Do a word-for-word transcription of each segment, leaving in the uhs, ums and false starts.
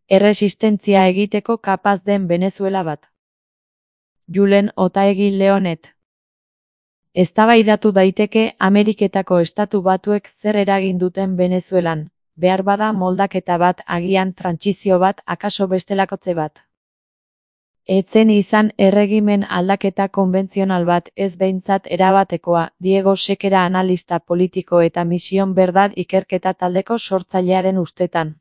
erresistentzia egiteko kapaz den Venezuela bat. Julen Otaegi Leonet. Eztabaidatu daiteke Ameriketako Estatu Batuek zer eragin duten Venezuelan, behar bada moldaketa bat, agian trantsizio bat, akaso bestelakotze bat. Etzen izan erregimen aldaketa konbentzional bat, ez behintzat erabatekoa, Diego Sekera analista politiko eta Mision Verdad ikerketa taldeko sortzailearen ustetan.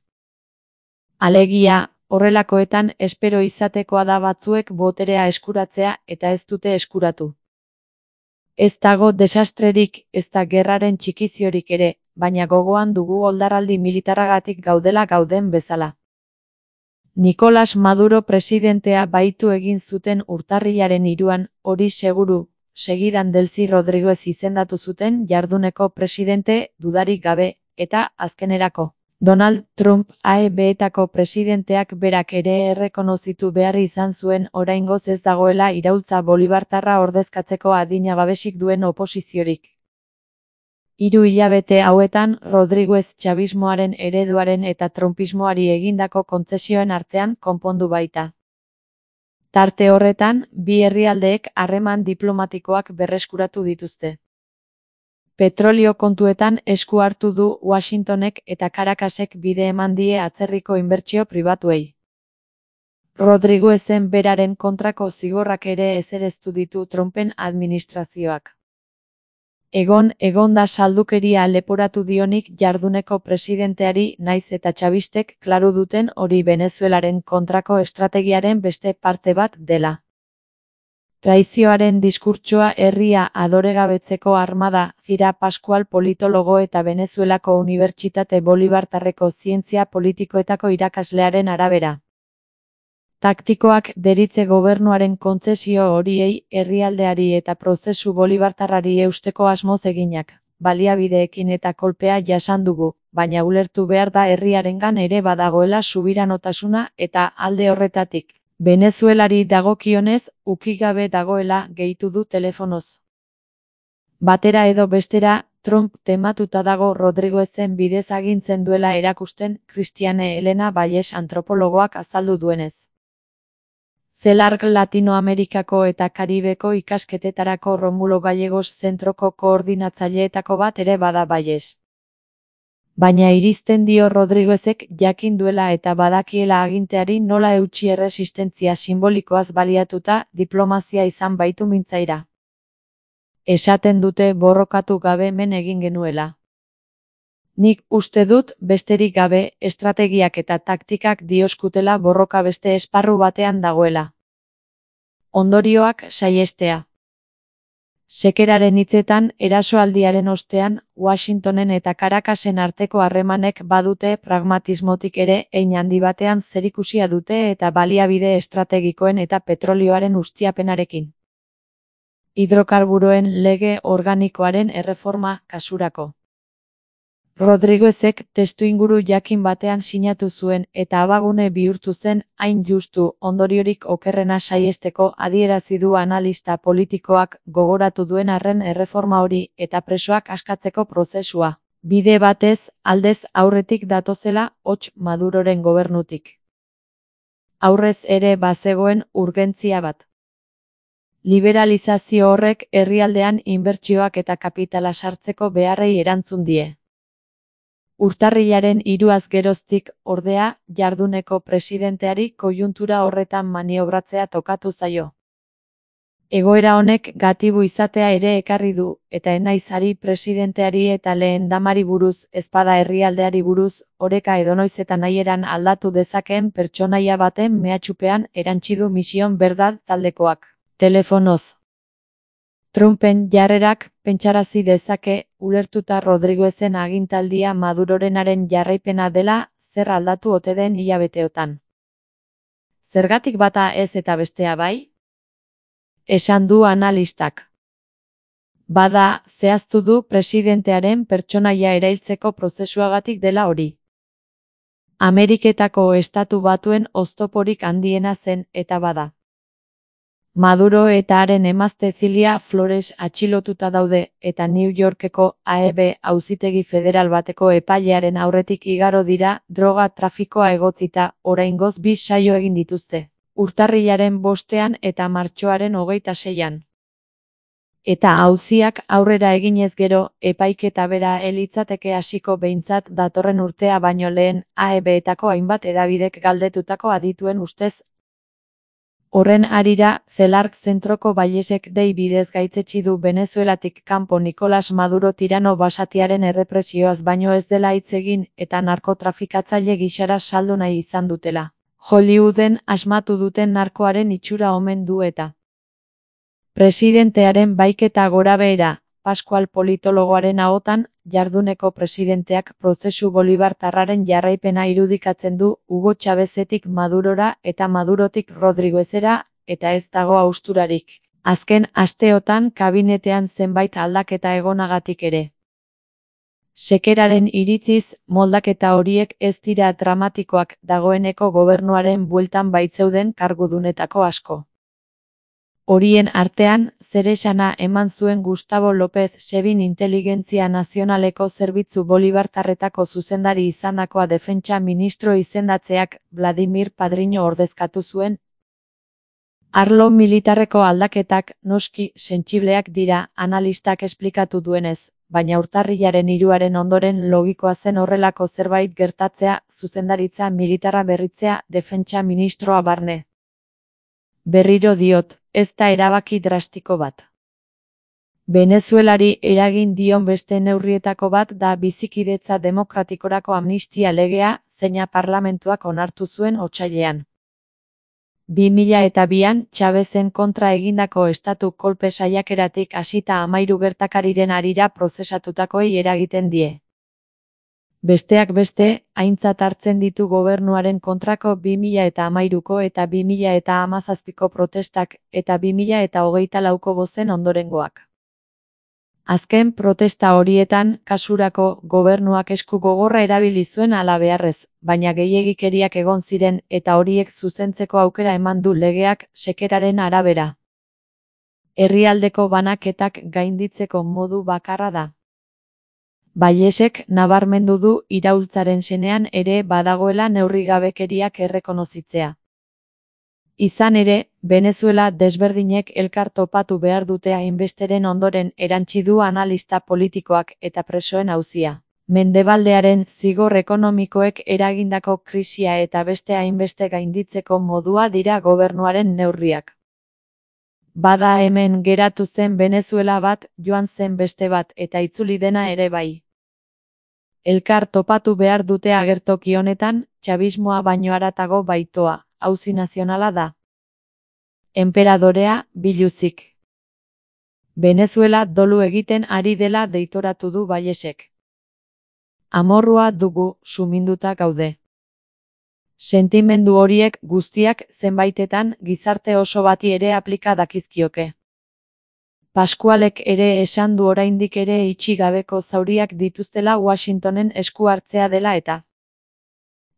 Alegia, horrelakoetan espero izatekoa da batzuek boterea eskuratzea eta ez dute eskuratu. Ez dago desastrerik, ez da gerraren txikiziorik ere, baina gogoan dugu oldarraldi militarragatik gaudela gauden bezala. Nicolas Maduro presidentea baitu egin zuten urtarrilaren hiruan, hori seguru, segidan Delcy Rodriguez izendatu zuten jarduneko presidente, dudarik gabe, eta azkenerako. Donald Trump A E B-etako presidenteak berak ere errekonozitu behar izan zuen oraingoz ez dagoela iraultza bolibartarra ordezkatzeko adina babesik duen oposiziorik. Hiru hilabete hauetan Rodriguez txabismoaren ereduaren eta trumpismoari egindako kontzesioen artean konpondu baita. Tarte horretan, bi herrialdeek harreman diplomatikoak berreskuratu dituzte. Petrolio kontuetan esku hartu du Washingtonek eta Caracasek bide eman die atzerriko inbertsio pribatuei. Rodriguezen beraren kontrako zigorrak ere ezereztu ditu Trumpen administrazioak. Egon, egon da saldukeria leporatu dionik jarduneko presidenteari naiz eta txabistek klaru duten hori Venezuelaren kontrako estrategiaren beste parte bat dela. Traizioaren diskurtsoa herria adoregabetzeko armada, Zira Pascual politologo eta Venezuelako Unibertsitate Bolibartarreko zientzia politikoetako irakaslearen arabera. Taktikoak deritze gobernuaren kontzesio horiei, herrialdeari eta prozesu bolibartarrari eusteko asmoz eginak, baliabideekin eta kolpea jasan dugu, baina ulertu behar da herriarengan ere badagoela subiranotasuna eta alde horretatik. Venezuelari dagokionez, ukigabe dagoela gehitu du telefonoz. Batera edo bestera, Trump tematuta dago Rodriguezen bidez agintzen duela erakusten Cristiane Elena Valles antropologoak azaldu duenez. Celarc Latinoamerikako eta Karibeko ikasketetarako Romulo Gallegos zentroko koordinatzaileetako bat ere bada Valles. Baina irizten dio Rodriguezek jakin duela eta badakiela aginteari nola eutsi erresistentzia simbolikoaz baliatuta diplomazia izan baitu mintzaira. Esaten dute borrokatu gabe men egin genuela. Nik uste dut besterik gabe estrategiak eta taktikak dioskutela borroka beste esparru batean dagoela. Ondorioak saihestea. Sekeraren hitzetan, erasoaldiaren ostean, Washingtonen eta Caracasen arteko harremanek badute pragmatismotik ere hein handi batean zerikusia dute eta baliabide estrategikoen eta petrolioaren ustiapenarekin. Hidrokarburoen lege organikoaren erreforma kasurako. Rodriguezek testuinguru jakin batean sinatu zuen eta abagune bihurtu zen hain justu ondoriorik okerrena saihesteko adierazi du analista politikoak gogoratu duen arren erreforma hori eta presoak askatzeko prozesua. Bide batez, aldez aurretik datozela hots Maduroren gobernutik. Aurrez ere bazegoen urgentzia bat. Liberalizazio horrek herrialdean inbertsioak eta kapitala sartzeko beharrei erantzun die. Urtarrilaren hiruaz geroztik, ordea, jarduneko presidenteari koiuntura horretan maniobratzea tokatu zaio. Egoera honek gatibu izatea ere ekarri du, eta enaiz ari presidenteari eta lehen damari buruz, ezpada herrialdeari buruz, oreka edonoiz eta nahieran aldatu dezakeen pertsonaia baten mehatxupean erantsi du Mision Verdad taldekoak. Telefonoz. Trumpen jarrerak pentsarazi dezake, ulertuta Rodriguezen agintaldia Madurorenaren jarraipena dela, zer aldatu ote den hilabeteotan. Zergatik bata ez eta bestea bai? Esan du analistak. Bada, zehaztu du presidentearen pertsonaia erailtzeko prozesuagatik dela hori. Ameriketako Estatu Batuen oztoporik handiena zen eta bada. Maduro eta haren emazte Zilia Flores atxilotuta daude eta New Yorkeko A E B auzitegi federal bateko epailearen aurretik igaro dira droga trafikoa egotzita, oraingoz bi saio egin dituzte, urtarrilaren bostean eta martxoaren hogeita seian. Eta auziak aurrera eginez gero, epaiketa bera ez litzateke hasiko behintzat datorren urtea baino lehen, A E B-etako hainbat hedabidek galdetutako adituen ustez. Horren harira, Zelark Zentroko Bailesek dei bidez gaitzetsi du Venezuelatik kanpo Nicolas Maduro tirano basatiaren errepresioaz baino ez dela hitz egin eta narkotrafikatzaile gisara saldu nahi izan dutela. Hollywooden asmatu duten narkoaren itxura omen du eta presidentearen baiketa gorabehera, Pascual politologoaren ahotan, jarduneko presidenteak prozesu bolibartarraren jarraipena irudikatzen du Hugo Chávezetik Madurora eta Madurotik Rodriguezera, eta ez dago hausturarik. Azken asteotan kabinetean zenbait aldaketa egonagatik ere. Sekeraren iritziz, moldaketa horiek ez dira dramatikoak, dagoeneko gobernuaren bueltan baitzeuden kargudunetako asko. Horien artean, zeresana eman zuen Gustavo López Sebin Inteligentzia Nazionaleko Zerbitzu Bolibartarretako zuzendari izandakoa defentsa ministro izendatzeak Vladimir Padrino ordezkatu zuen. Arlo militarreko aldaketak noski sentsibleak dira, analistak esplikatu duenez, baina urtarrilaren hiruaren ondoren logikoa zen horrelako zerbait gertatzea, zuzendaritza militarra berritzea, defentsa ministroa barne. Berriro diot, ez da erabaki drastiko bat. Venezuelari eragin dion beste neurrietako bat da bizikidetza demokratikorako amnistia legea, zeina parlamentuak onartu zuen otsailean. bi mila eta bian, Chávezen kontra egindako estatu kolpe saiakeratik hasita hamahiru gertakariren harira prozesatutakoei eragiten die. Besteak beste, aintzat hartzen ditu gobernuaren kontrako bi mila eta hamahiruko eta bi mila eta hamazazpiko protestak eta bi mila eta hogeita lauko bozen ondorengoak. Azken protesta horietan, kasurako, gobernuak esku gogorra erabili zuen hala beharrez, baina gehiegikeriak egon ziren eta horiek zuzentzeko aukera eman du legeak, Sekeraren arabera. Herrialdeko banaketak gainditzeko modu bakarra da. Bailesek nabarmendu du iraultzaren senean ere badagoela neurrigabekeriak errekonozitzea. Izan ere, Venezuela desberdinek elkar topatu behar dute hainbesteren ondoren erantsi du analista politikoak eta presoen auzia. Mendebaldearen zigor ekonomikoek eragindako krisia eta beste hainbeste gainditzeko modua dira gobernuaren neurriak. Bada hemen geratu zen Venezuela bat, joan zen beste bat eta itzuli dena ere bai. Elkar topatu behar dute agertoki honetan, txabismoa baino haratago baitoa, auzi nazionala da. Enperadorea, biluzik. Venezuela dolu egiten ari dela deitoratu du Bailesek. Amorrua dugu, suminduta gaude. Sentimendu horiek guztiak zenbaitetan gizarte oso bati ere aplika dakizkioke. Pascualek ere esan du oraindik ere itxi gabeko zauriak dituztela Washingtonen esku hartzea dela eta.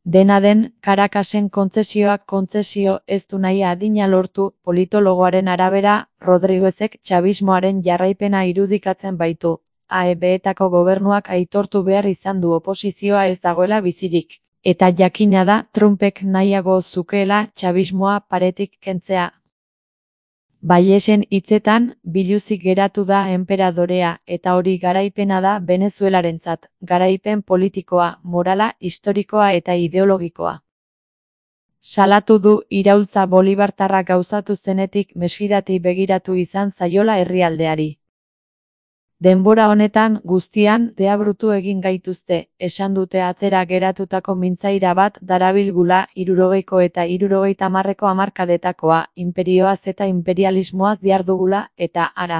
Dena den, Caracasen kontzesioak kontzesio ez du nahi adina lortu, politologoaren arabera, Rodriguezek txabismoaren jarraipena irudikatzen baitu, A E B-etako gobernuak aitortu behar izan du oposizioa ez dagoela bizirik, eta jakina da Trumpek nahiago zukeela txabismoa paretik kentzea. Bailesen hitzetan, biluzik geratu da enperadorea, eta hori garaipena da Venezuelarentzat, garaipen politikoa, morala, historikoa eta ideologikoa. Salatu du iraultza bolibartarra gauzatu zenetik mesfidati begiratu izan zaiola herrialdeari. Denbora honetan guztian deabrutu egin gaituzte, esan dute atzera geratutako mintzaira bat darabilgula hirurogeiko eta hirurogeita hamarreko hamarkadetakoa, inperioaz eta imperialismoaz dihardugula, eta ara.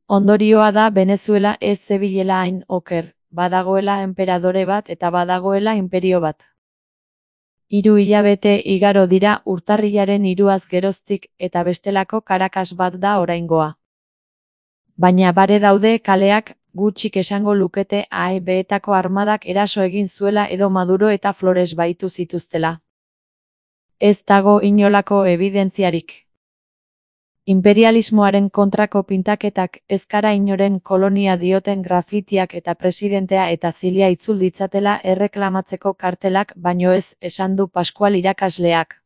Ondorioa da Venezuela ez zebilela hain oker, badagoela enperadore bat eta badagoela imperio bat. Hiru hilabete igaro dira urtarrilaren hiruaz geroztik eta bestelako Caracas bat da oraingoa. Baina bare daude kaleak, gutxik esango lukete A E B-etako armadak eraso egin zuela edo Maduro eta Flores baitu zituztela. Ez dago inolako ebidentziarik. Imperialismoaren kontrako pintaketak, ez gara inoren kolonia dioten grafitiak eta presidentea eta zilia itzul ditzatela erreklamatzeko kartelak baino ez, esan du Pascual irakasleak.